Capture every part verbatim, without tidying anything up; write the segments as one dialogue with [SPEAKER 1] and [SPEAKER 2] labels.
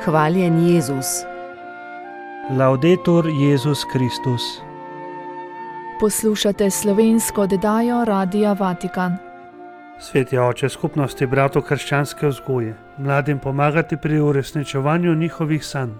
[SPEAKER 1] Hvaljen Jezus.
[SPEAKER 2] Laudetur Jezus Kristus.
[SPEAKER 3] Poslušate slovensko oddajo Radia Vatikan.
[SPEAKER 2] Sveti oče skupnosti bratov krščanske vzgoje, mladim pomagati pri uresničevanju njihovih sanj.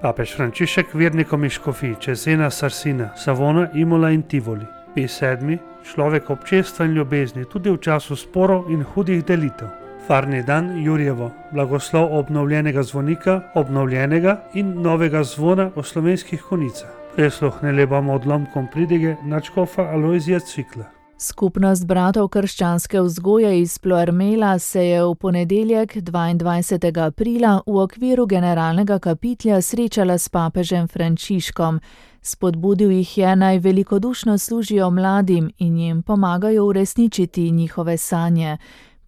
[SPEAKER 2] Papež Frančišek vernikom iz škofij Cesena, Sarsina, Savona, Imola in Tivoli. Pij sedmi, človek občestva in ljubezni tudi v času sporov in hudih delitev. Farni dan Jurjevo, blagoslov obnovljenega zvonika, obnovljenega in novega zvona o slovenskih konicah. Prisluhnili bomo odlomkom pridige nadškofa Alojzija Cvikla.
[SPEAKER 3] Skupnost bratov krščanske vzgoje iz Ploermela se je v ponedeljek dvaindvajsetega aprila v okviru generalnega kapitlja srečala s papežem Frančiškom. Spodbudil jih je, naj velikodušno služijo mladim in jim pomagajo uresničiti njihove sanje.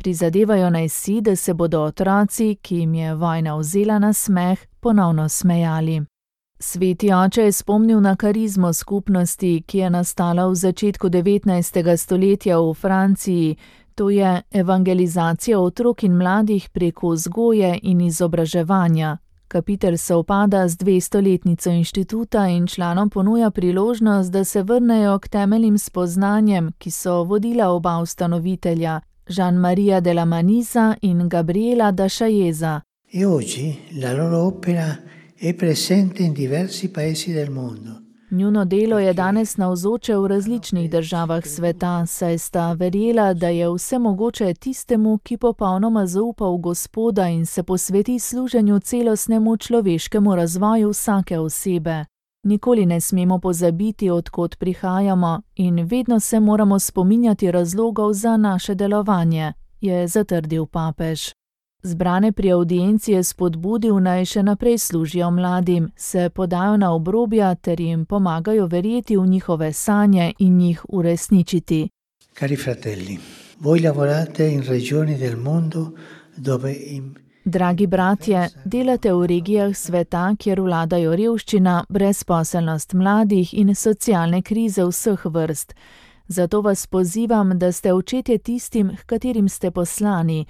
[SPEAKER 3] Prizadevajo naj si, da se bodo otroci, ki jim je vojna vzela na smeh, ponovno smejali. Sveti oče je spomnil na karizmo skupnosti, ki je nastala v začetku devetnajstega stoletja v Franciji, to je evangelizacija otrok in mladih preko vzgoje in izobraževanja. Kapitel sovpada z dvestoletnico inštituta in članom ponuja priložnost, da se vrnejo k temeljnim spoznanjem, ki so vodila oba ustanovitelja, Jean-Maria de la Maniza in Gabriela da Sciaesa.
[SPEAKER 4] E oggi la loro opera è presente in diversi paesi del mondo.
[SPEAKER 3] Njuno delo je danes navzoče v različnih državah sveta, saj sta verjela, da je vse mogoče tistemu, ki popolnoma zaupa v Gospoda in se posveti služenju celostnemu človeškemu razvoju vsake osebe. Nikoli ne smemo pozabiti, od kod prihajamo, in vedno se moramo spominjati razlogov za naše delovanje, je zatrdil papež. Zbrane pri avdienci je spodbudil, naj še naprej služijo mladim, se podajo na obrobja ter jim pomagajo verjeti v njihove sanje in jih uresničiti.
[SPEAKER 4] Cari fratelli, voi lavorate in regioni del mondo dove im
[SPEAKER 3] Dragi bratje, delate v regijah sveta, kjer vladajo revščina, brezposelnost mladih in socialne krize vseh vrst. Zato vas pozivam, da ste očetje tistim, h katerim ste poslani,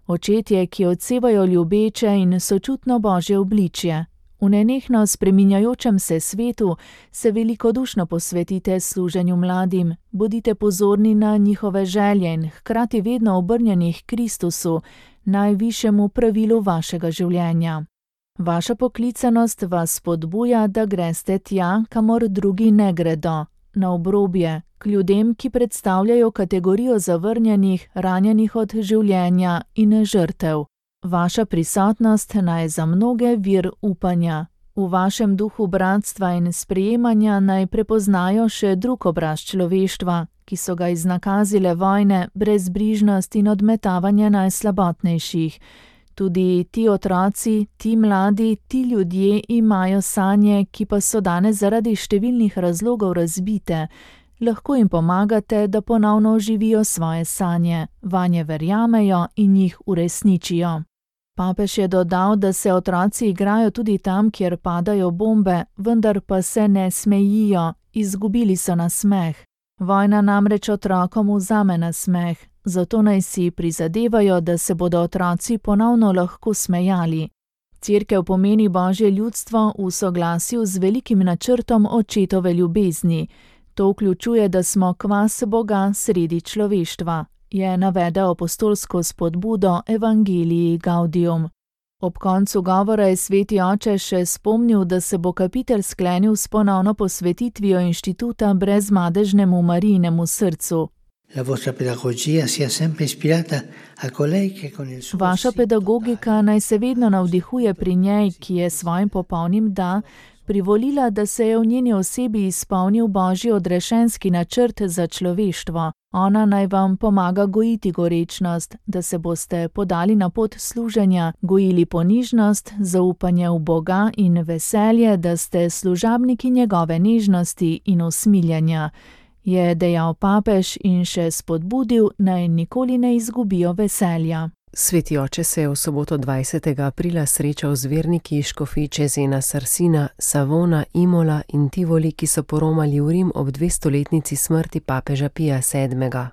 [SPEAKER 3] očetje, ki odsevajo ljubeče in sočutno Božje obličje. V nenehno spreminjajočem se svetu se velikodušno posvetite služenju mladim, bodite pozorni na njihove želje in hkrati vedno obrnjeni k Kristusu, najvišjemu pravilu vašega življenja. Vaša poklicanost vas spodbuja, da greste tja, kamor drugi ne gredo, na obrobje, k ljudem, ki predstavljajo kategorijo zavrnjenih, ranjenih od življenja in žrtev. Vaša prisotnost naj za mnoge vir upanja. V vašem duhu bratstva in sprejemanja naj prepoznajo še drug obraz človeštva, ki so ga iznakazile vojne, brezbrižnost in odmetavanje najslabotnejših. Tudi ti otroci, ti mladi, ti ljudje imajo sanje, ki pa so danes zaradi številnih razlogov razbite. Lahko jim pomagate, da ponovno oživijo svoje sanje, vanje verjamejo in jih uresničijo. Papež je dodal, da se otroci igrajo tudi tam, kjer padajo bombe, vendar pa se ne smejijo, izgubili so nasmeh. Vojna namreč otrokom vzame nasmeh, zato naj si prizadevajo, da se bodo otroci ponovno lahko smejali. Cerkev pomeni Božje ljudstvo v soglasju z velikim načrtom očetove ljubezni. To vključuje, da smo kvas Boga sredi človeštva, je navedel apostolsko spodbudo Evangelii Gaudium. Ob koncu govora je sveti oče še spomnil, da se bo kapitel sklenil s ponovno posvetitvijo inštituta brezmadežnemu Marijinemu srcu. Vaša pedagogika naj se vedno navdihuje pri njej, ki je svojim popolnim da privolila, da se je v njeni osebi izpolnil Božji odrešenski načrt za človeštvo. Ona naj vam pomaga gojiti gorečnost, da se boste podali na pot služenja, gojili ponižnost, zaupanje v Boga in veselje, da ste služabniki njegove nežnosti in usmiljenja, je dejal papež in še spodbudil, naj nikoli ne izgubijo veselja.
[SPEAKER 1] Sveti oče se je v soboto dvajsetega aprila srečal z verniki iz škofij Cesena, Sarsina, Savona, Imola in Tivoli, ki so poromali v Rim ob dvestoletnici smrti papeža Pija sedmega.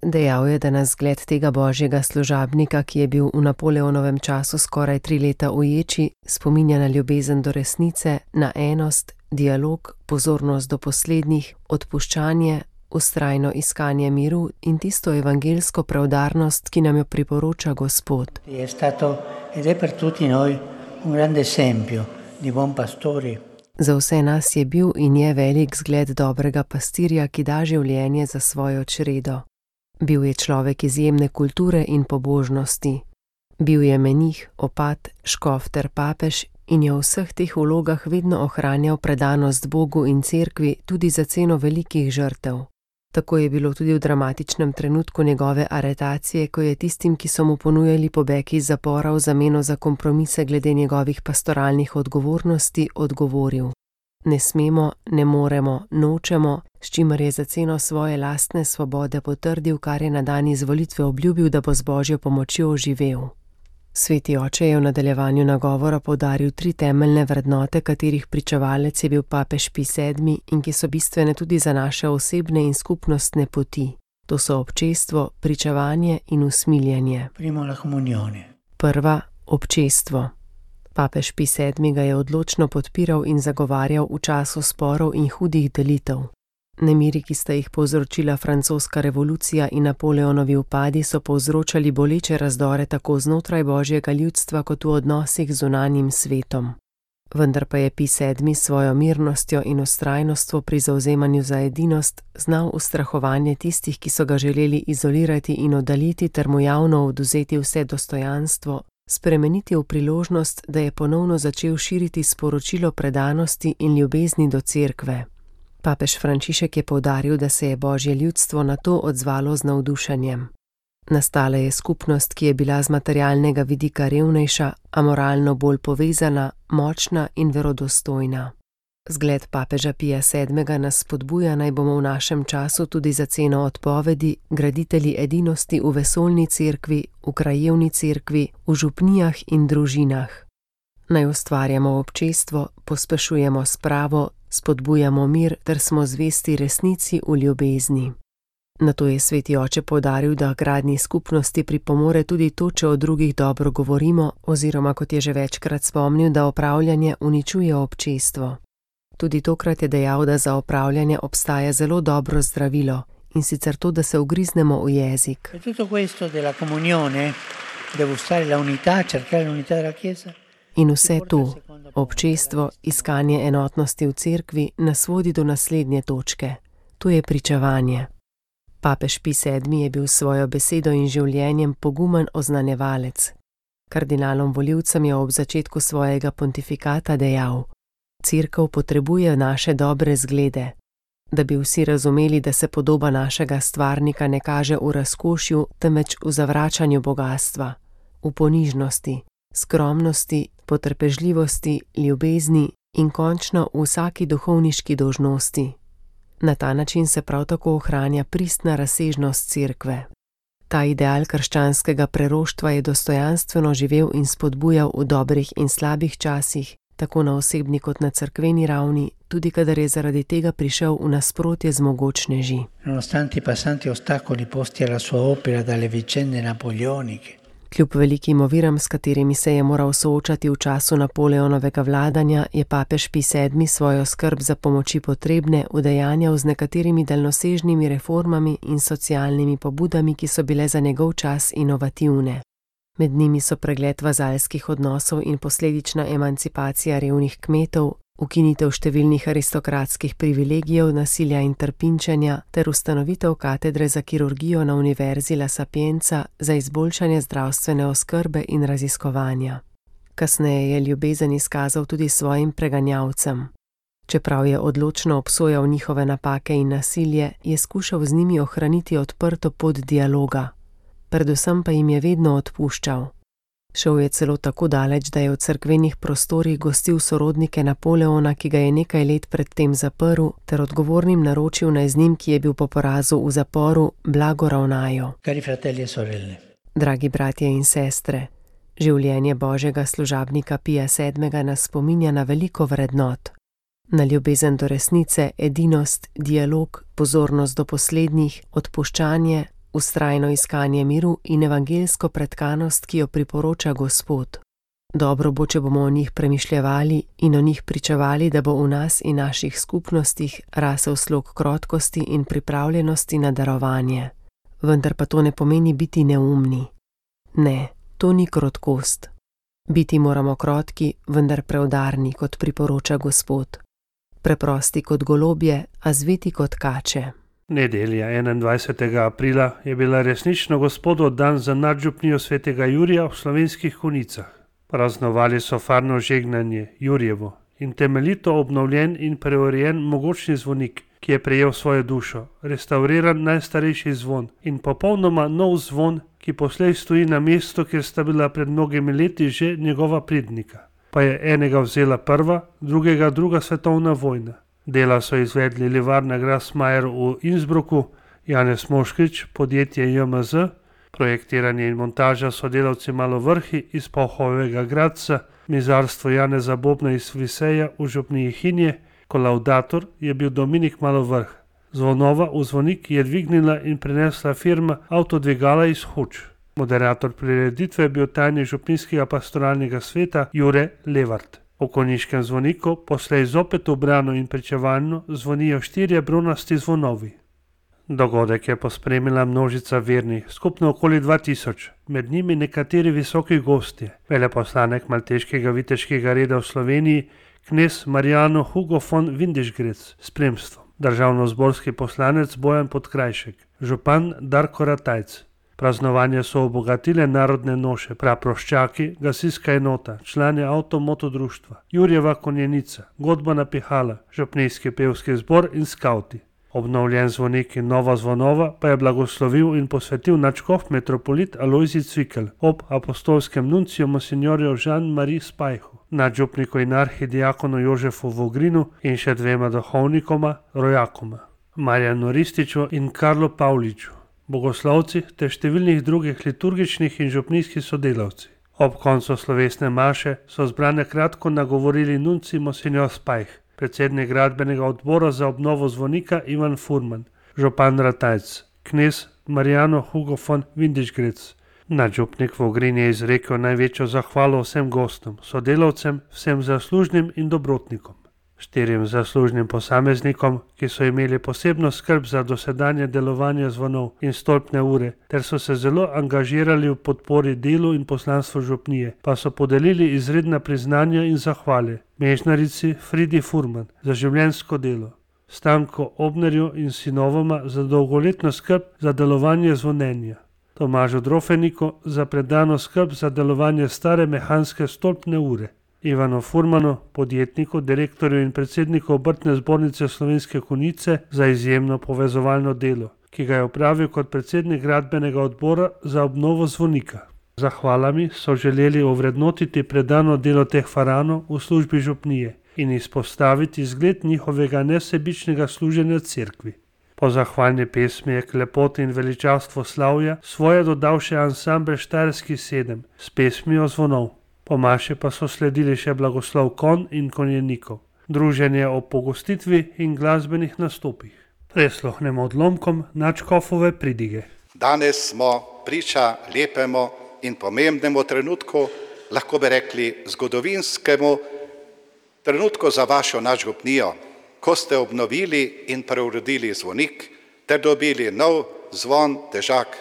[SPEAKER 1] Dejal je, da nas zgled tega božjega služabnika, ki je bil v Napoleonovem času skoraj tri leta uječi, spominja na ljubezen do resnice, na enost, dialog, pozornost do poslednjih, odpuščanje, vztrajno iskanje miru in tisto evangelsko preudarnost, ki nam jo priporoča Gospod.
[SPEAKER 4] Je stato ed è per tutti noi un grande esempio di buon pastore.
[SPEAKER 1] Za vse nas je bil in je velik zgled dobrega pastirja, ki da življenje za svojo čredo. Bil je človek izjemne kulture in pobožnosti. Bil je menih, opat, škof ter papež in je v vseh teh vlogah vedno ohranjal predanost Bogu in cerkvi tudi za ceno velikih žrtev. Tako je bilo tudi v dramatičnem trenutku njegove aretacije, ko je tistim, ki so mu ponujali pobeg iz zapora v zameno za kompromise glede njegovih pastoralnih odgovornosti, odgovoril: Ne smemo, ne moremo, nočemo, s čimer je za ceno svoje lastne svobode potrdil, kar je na dan izvolitve obljubil, da bo z božjo pomočjo živel. Sveti oče je v nadaljevanju nagovora poudaril tri temeljne vrednote, katerih pričevalec je bil papež Pij sedmi in ki so bistvene tudi za naše osebne in skupnostne poti. To so občestvo, pričevanje in usmiljenje. Prva, občestvo. Papež Pij sedmi ga je odločno podpiral in zagovarjal v času sporov in hudih delitev. Nemiri, ki sta jih povzročila francoska revolucija in Napoleonovi upadi, so povzročali boleče razdore tako znotraj božjega ljudstva kot v odnosih z zunanjim svetom. Vendar pa je Pij sedmi s svojo mirnostjo in vztrajnostjo pri zavzemanju za edinost znal ustrahovanje tistih, ki so ga želeli izolirati in oddaljiti ter mu javno odvzeti vse dostojanstvo, spremeniti v priložnost, da je ponovno začel širiti sporočilo predanosti in ljubezni do cerkve. Papež Frančišek je poudaril, da se je božje ljudstvo na to odzvalo z navdušenjem. Nastala je skupnost, ki je bila z materialnega vidika revnejša, a moralno bolj povezana, močna in verodostojna. Zgled papeža Pija sedmega nas spodbuja, naj bomo v našem času tudi za ceno odpovedi graditelji edinosti v vesoljni cerkvi, v krajevni cerkvi, v župnijah in družinah. Naj ustvarjamo občestvo, pospešujemo spravo, spodbujamo mir ter smo zvesti resnici v ljubezni. Nato je sveti oče poudaril, da gradnji skupnosti pripomore tudi to, če o drugih dobro govorimo, oziroma kot je že večkrat spomnil, da opravljanje uničuje občestvo. Tudi tokrat je dejal, da za opravljanje obstaja zelo dobro zdravilo, in sicer to, da se ugriznemo v jezik. In vse to, občestvo, iskanje enotnosti v cerkvi, nas vodi do naslednje točke. To je pričevanje. Papež Pij sedmi je bil s svojo besedo in življenjem pogumen oznanjevalec. Kardinalom volivcem je ob začetku svojega pontifikata dejal: Cerkev potrebuje naše dobre zglede, da bi vsi razumeli, da se podoba našega stvarnika ne kaže v razkošju, temveč v zavračanju bogastva, v ponižnosti, skromnosti, potrpežljivosti, ljubezni in končno v vsaki duhovniški dolžnosti. Na ta način se prav tako ohranja pristna razsežnost cerkve. Ta ideal krščanskega preroštva je dostojanstveno živel in spodbujal v dobrih in slabih časih, tako na osebni kot na cerkveni ravni, tudi kadar je zaradi tega prišel v nasprotje z mogočneži.
[SPEAKER 4] Nonostante i passanti ostacoli posti alla sua opera dalle vicende napoleoniche.
[SPEAKER 1] Kljub velikim oviram, s katerimi se je moral soočati v času Napoleonovega vladanja, je papež Pij sedmi svojo skrb za pomoči potrebne udejanjal z nekaterimi daljnosežnimi reformami in socialnimi pobudami, ki so bile za njegov čas inovativne. Med njimi so pregled vazalskih odnosov in posledična emancipacija revnih kmetov, ukinitev številnih aristokratskih privilegijev, nasilja in trpinčenja ter ustanovitev katedre za kirurgijo na Univerzi La Sapienza za izboljšanje zdravstvene oskrbe in raziskovanja. Kasneje je ljubezen izkazal tudi svojim preganjavcem. Čeprav je odločno obsojal njihove napake in nasilje, je skušal z njimi ohraniti odprto pot dialoga. Predvsem pa jim je vedno odpuščal. Šel je celo tako daleč, da je v cerkvenih prostorih gostil sorodnike Napoleona, ki ga je nekaj let predtem zaprl, ter odgovornim naročil, naj z njim, ki je bil po porazu v zaporu, blago ravnajo.
[SPEAKER 4] Cari fratelli e sorelle.
[SPEAKER 1] Dragi bratje in sestre, življenje božjega služabnika Pija sedmega nas spominja na veliko vrednot. Na ljubezen do resnice, edinost, dialog, pozornost do poslednjih, odpuščanje, vztrajno iskanje miru in evangelsko pretkanost, ki jo priporoča Gospod. Dobro bo, če bomo o njih premišljevali in o njih pričevali, da bo v nas in naših skupnostih rasel slog krotkosti in pripravljenosti na darovanje. Vendar pa to ne pomeni biti neumni. Ne, to ni krotkost. Biti moramo krotki, vendar preudarni, kot priporoča Gospod. Preprosti kot golobje, a zveti kot kače.
[SPEAKER 2] Nedelja enaindvajsetega aprila je bila resnično Gospodov dan za nadžupnijo svetega Jurija v Slovenskih Konjicah. Praznovali so farno žegnanje, Jurjevo, in temeljito obnovljen in preurejen mogočni zvonik, ki je prejel svojo dušo, restauriran najstarejši zvon in popolnoma nov zvon, ki poslej stoji na mestu, kjer sta bila pred mnogimi leti že njegova prednika. Pa je enega vzela prva, drugega druga svetovna vojna. Dela so izvedli livarna Grasmajer v Innsbrucku, Janez Moškrič, podjetje J M Z, projektiranje in montaža so delavci Malovrhi iz Pohovega Gradca, mizarstvo Janeza Bobna iz Viseja v župniji Hinje, kolaudator je bil Dominik Malovrh. Zvonova v zvonik je dvignila in prinesla firma Avtodvigala iz Hoč. Moderator prireditve je bil tajnik župnijskega pastoralnega sveta Jure Levart. V konjiškem zvoniku poslej zopet ubrano in pričevalno zvonijo štirje bronasti zvonovi. Dogodek je pospremila množica vernih, skupno okoli dva tisoč, med njimi nekateri visoki gostje, veleposlanik malteškega viteškega reda v Sloveniji, knez Marijano Hugo von Windischgrätz s spremstvom, državnozborski poslanec Bojan Podkrajšek, župan Darko Ratajc. Praznovanje so obogatile narodne noše, praproščaki, gasilska enota, člani avtomoto društva, Jurjeva konjenica, godbana pihala, župnijski pevski zbor in skauti. Obnovljen zvonik in nova zvonova pa je blagoslovil in posvetil nadškof metropolit Alojzij Cvikl ob apostolskem nunciju monsignorju Jean-Marie Spajhu, nadžupniku in arhidiakonu Jožefu Vogrinu in še dvema duhovnikoma, rojakoma, Marjanu Rističu in Karlu Pavliču, bogoslovci ter številnih drugih liturgičnih in župnijskih sodelavci. Ob koncu slovesne maše so zbrane kratko nagovorili nunci monsinjor Spajh, predsednik gradbenega odbora za obnovo zvonika Ivan Furman, župan Ratajc, knez Marijano Hugo von Windischgrätz. Nadžupnik Vogrin je izrekel največjo zahvalo vsem gostom, sodelavcem, vsem zaslužnim in dobrotnikom. Štirim zaslužnim posameznikom, ki so imeli posebno skrb za dosedanje delovanje zvonov in stolpne ure, ter so se zelo angažirali v podpori delu in poslanstvu župnije, pa so podelili izredna priznanja in zahvale mežnarici Fridi Furman za življenjsko delo, Stanko Obnerju in sinovoma za dolgoletno skrb za delovanje zvonjenja, Tomažu Drofeniku za predano skrb za delovanje stare mehanske stolpne ure, Ivanu Furmanu, podjetniku, direktorju in predsedniku obrtne zbornice Slovenske Konjice za izjemno povezovalno delo, ki ga je opravil kot predsednik gradbenega odbora za obnovo zvonika. Zahvalami so želeli ovrednotiti predano delo teh faranov v službi župnije in izpostaviti zgled njihovega nesebičnega služenja cerkvi. Po zahvalni pesmi je k lepoti in veličavstvu slavja svoje dodal še ansambel Štajerski sedem s pesmijo zvonov. Po maši pa so sledili še blagoslov konj in konjenikov, druženje o pogostitvi in glasbenih nastopih. Presluhnemo odlomkom nadškofove pridige.
[SPEAKER 5] Danes smo priča lepemu in pomembnemu trenutku, lahko bi rekli zgodovinskemu trenutku za vašo nadžupnijo, ko ste obnovili in preuredili zvonik ter dobili nov zvon težak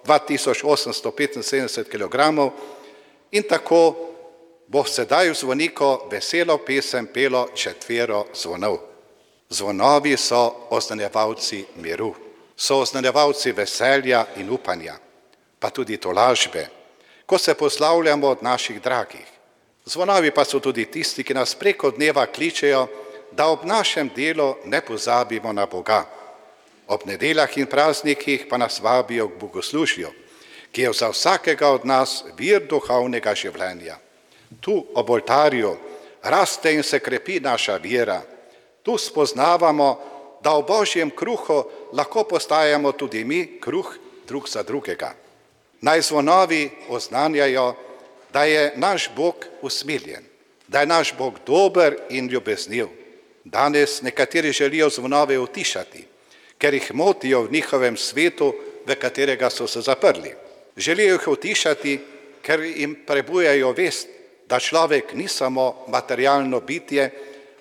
[SPEAKER 5] dva tisoč osemsto petinsedemdeset kilogramov, in tako bo sedaj v zvoniku veselo pesem pelo četvero zvonov. Zvonovi so oznanjevalci miru, so oznanjevalci veselja in upanja, pa tudi tolažbe, ko se poslavljamo od naših dragih. Zvonovi pa so tudi tisti, ki nas preko dneva kličejo, da ob našem delu ne pozabimo na Boga. Ob nedeljah in praznikih pa nas vabijo k bogoslužju, ki je za vsakega od nas vir duhovnega življenja. Tu ob oltarju raste in se krepi naša vera. Tu spoznavamo, da v Božjem kruhu lahko postajamo tudi mi kruh drug za drugega. Naj zvonovi oznanjajo, da je naš Bog usmiljen, da je naš Bog dober in ljubezniv. Danes nekateri želijo zvonove utišati, ker jih motijo v njihovem svetu v katerega so se zaprli. Želijo jih utišati, ker jim prebujajo vest, da človek ni samo materialno bitje,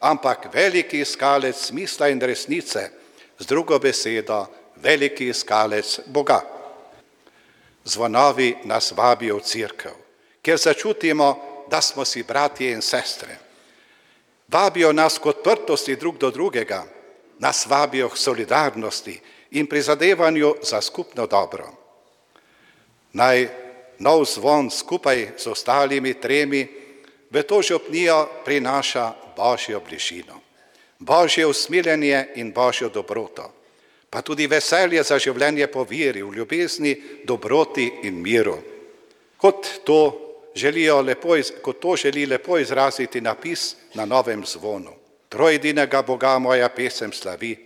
[SPEAKER 5] ampak veliki iskalec smisla in resnice, z drugo besedo, veliki iskalec Boga. Zvonovi nas vabijo v cerkev, kjer začutimo, da smo si bratje in sestre. Vabijo nas k odprtosti drug do drugega, nas vabijo k solidarnosti in prizadevanju za skupno dobro. Naj nov zvon skupaj z ostalimi tremi v to župnijo prinaša Božjo bližino, Božje usmiljenje in Božjo dobroto, pa tudi veselje za življenje po veri, v ljubezni, dobroti in miru. Kot to, želijo lepo, kot to želi lepo izraziti napis na novem zvonu. Trojedinega Boga moja pesem slavi,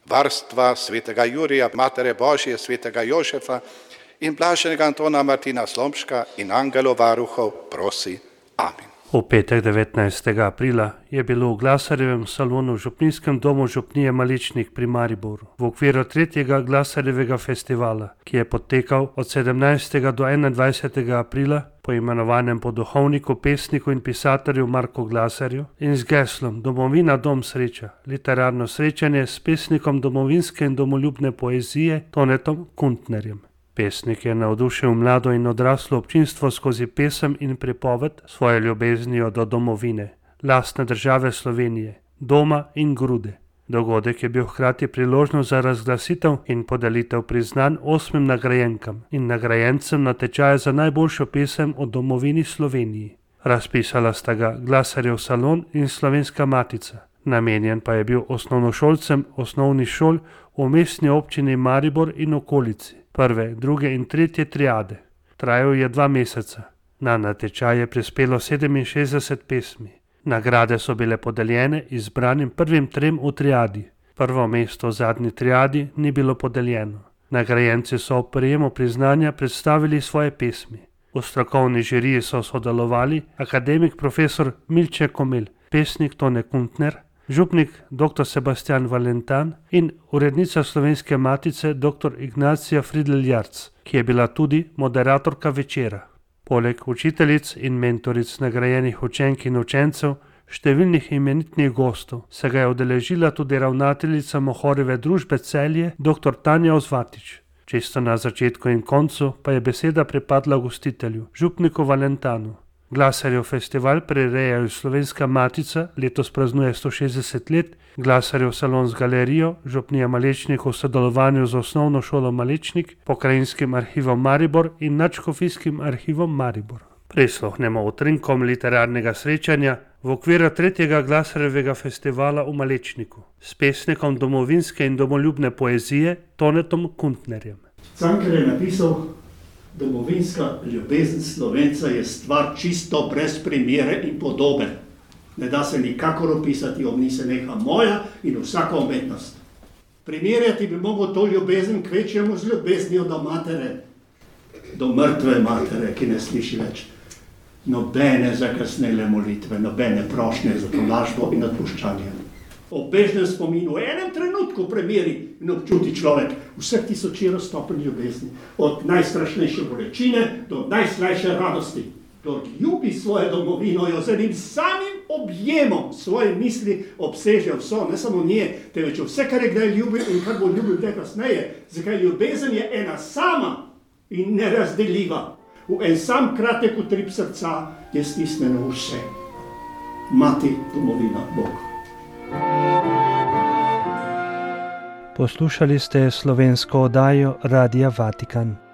[SPEAKER 5] varstva svetega Jurija, Matere Božje, svetega Jožefa in blaženega Antona Martina Slomška in angelov varuhov prosi. Amen.
[SPEAKER 2] V petek devetnajstega aprila je bilo v Glasarjevem salonu v Župnijskem domu župnije Malečnik pri Mariboru v okviru tretjega Glasarjevega festivala, ki je potekal od sedemnajstega do enaindvajsetega aprila, poimenovanem po duhovniku, pesniku in pisatelju Marku Glasarju in z geslom Domovina dom sreča, literarno srečanje s pesnikom domovinske in domoljubne poezije Tonetom Kuntnerjem. Pesnik je navdušil mlado in odraslo občinstvo skozi pesem in pripoved svoje ljubeznijo do domovine, lastne države Slovenije, doma in grude. Dogodek je bil hkrati priložnost za razglasitev in podelitev priznanj osmim nagrajenkam in nagrajencem na tečaju za najboljšo pesem o domovini Sloveniji. Razpisala sta ga Glasarjev salon in Slovenska matica. Namenjen pa je bil osnovnošolcem osnovnih šol v mestni občini Maribor in okolici, prve, druge in tretje triade. Trajal je dva meseca. Na natečaj je prispelo sedeminšestdeset pesmi. Nagrade so bile podeljene izbranim prvim trem v triadi. Prvo mesto v zadnji triadi ni bilo podeljeno. Nagrajenci so ob prejemu priznanja predstavili svoje pesmi. V strokovni žiriji so sodelovali akademik profesor Milče Komel, pesnik Tone Kuntner, župnik dr. Sebastian Valentan in urednica Slovenske matice dr. Ignacija Fridl-Jarc, ki je bila tudi moderatorka večera. Poleg učiteljic in mentoric nagrajenih učenk in učencev, številnih imenitnih gostov, se ga je udeležila tudi ravnateljica Mohorjeve družbe Celje dr. Tanja Ozvatič. Čisto na začetku in koncu pa je beseda pripadla gostitelju, župniku Valentanu. Glasarjev festival prirejajo Slovenska matica, letos praznuje sto šestdeset let, Glasarjev salon z galerijo, župnija Malečnik v sodelovanju z osnovno šolo Malečnik, pokrajinskim arhivom Maribor in nadškofijskim arhivom Maribor. Prisluhnemo utrinkom literarnega srečanja v okviru tretjega Glasarjevega festivala v Malečniku s pesnikom domovinske in domoljubne poezije Tonetom Kuntnerjem.
[SPEAKER 6] Cankar je napisal: domovinska ljubezen Slovenca je stvar čisto brez primere in podobe. Ne da se nikakor opisati, ob njej se neha moja in vsaka umetnost. Primerjati bi mogel to ljubezen kvečjemu z ljubeznijo do matere, do mrtve matere, ki ne sliši več. Nobene zakasnele molitve, nobene prošnje za tolažbo in odpuščanje. Ob bežnem spominu v enem trenutku premeri in občuti človek vseh tisočero stopenj ljubezni, od najstrašnejše bolečine do najslajše radosti. Kdor ljubi svojo domovino, jo z enim samim objemom svoje misli obseže vso, ne samo nje, temveč vse, kar je kdaj ljubil in kar bo ljubil kdaj kasneje, zakaj ljubezen je ena sama in nerazdeljiva. V en sam kratek utrip srca je stisnjeno vse. Mati, domovina, Bog.
[SPEAKER 7] Poslušali ste slovensko oddajo Radia Vatikan.